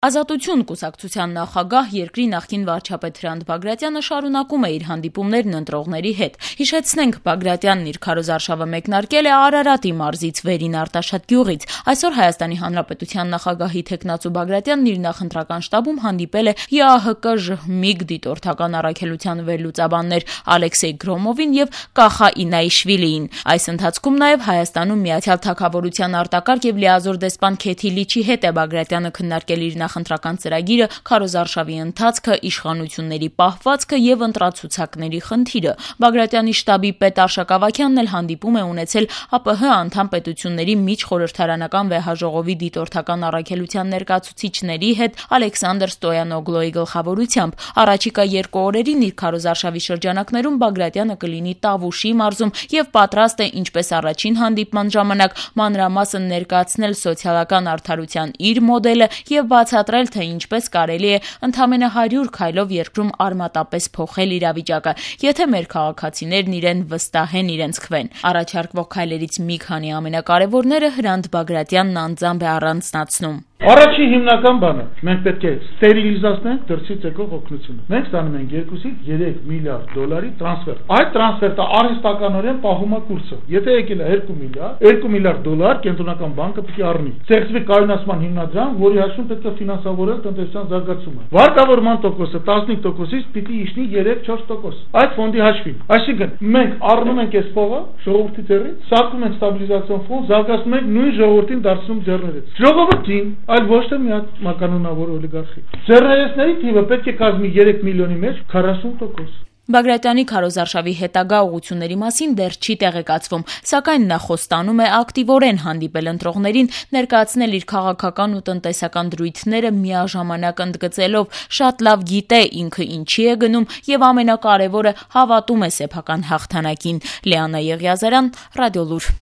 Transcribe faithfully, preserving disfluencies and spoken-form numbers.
Ազատություն կուսակցության նախագահ, երկրի նախկին վարչապետ Հրանտ Բագրատյանը շարունակում է իր հանդիպումներն ընտրողների հետ։ Հիշեցնենք, Բագրատյանն իր քարոզարշավը մեկնարկել է Արարատի մարզից վերին Արտաշատ գյուղից։ Այսօր Հայաստանի Հանրապետության նախագահի թեկնածու Բագրատյանն իր նախընտրական շտաբում հանդիպել է ԵԱՀԿ-ԺՀՄԻԳ դիտորդական առաքելության վերլուծաբաններ Ալեքսեյ Գրոմովին եւ Կախա Ինայիշվիլիին։ Այս ընթացքում նաեւ Հայաստանում Միացյալ Թագավորության արտակարգ եւ լիազոր դեսպան Քեթի Լիչի հետ է Բագրատյանը քննարկել իր նախընտրական ծրագիրը, քարոզարշավի ընթացքը, իշխանությունների պահվածքը եւ ընտրացուցակների խնդիրը։ Բագրատյանի շտաբի պետ Արշակ Ավագյանն էլ հանդիպում է ունեցել ԱՊՀ անդամ պետությունների միջխորհրդարանական վեհաժողովի դիտորդական առաքելության ներկայացուցիչների հետ Ալեքսանդր Ստոյանոգլոյի գլխավորությամբ։ Առաջիկա երկու օրերին իր քարոզարշավի շրջանակներում Բագրատյանը կլինի Տավուշի մարզում եւ պատրաստ է, ինչպես առաջին հանդիպման ժամանակ, մանրամասն ներկայացնել սոցիալական արդարության իր մոդելը եւ բացատրել, թե ինչպես կարելի է ընդամենը հարյուր քայլով երկրում արմատապես փոխել իրավիճակը, եթե մեր քաղաքացիներն իրեն վստահեն իրենց քվեն։ Առաջարկվող քայլերից մի քանի ամենակարևորները Հրանտ Բագրատյանն անձամբ է առանձնացնում։ Առաջին հիմնական բանը մենք պետք է ստերիլիզացնենք դրսից եկող օգնությունը։ Մենք ստանում ենք երկուսից երեք միլիարդ դոլարի տրանսֆեր։ Այդ տրանսֆերը արհեստականորեն պահում է կուրսը։ Եթե եկել է երկու միլիարդ, երկու միլիարդ դոլար կենտրոնական բանկը պետք է առնի։ Ստեղծվի կայունացման հիմնադրամ, որի հաշվում պետք է ֆինանսավորել տնտեսության զարգացումը։ Վարկավորման տոկոսը տասնհինգ տոկոսից պիտի իջնի երեք-չորս տոկոս։ Այդ ֆոնդի հաշվին։ Այսինքն մենք առնում ենք այս փողը ժողովրդի ձեռքից, սարքում ենք ստաբիլիզացիոն ֆոնդ, զարգացնում ենք նույն ժողովրդին դարձնում ձեռներից։ Ժողովրդին այլ ոչ թե միակ կանոնավոր օլիգարխի։ Ձեռներեցների թիվը պետք է կազմի երեք միլիոնի մեջ քառասուն տոկոս։ Բագրատյանի քարոզարշավի հետագա ուղղությունների մասին դեռ չի տեղեկացվում, սակայն նա խոստանում է ակտիվորեն հանդիպել ընտրողներին, ներկայացնել իր քաղաքական ու տնտեսական դրույթները միաժամանակ ընդգծելով, շատ լավ գիտե ինքը ինչի է գնում եւ ամենակարևորը հավատում է սեփական հաղթանակին։ Լիանա Եղիազարյան, Ռադիոլուր։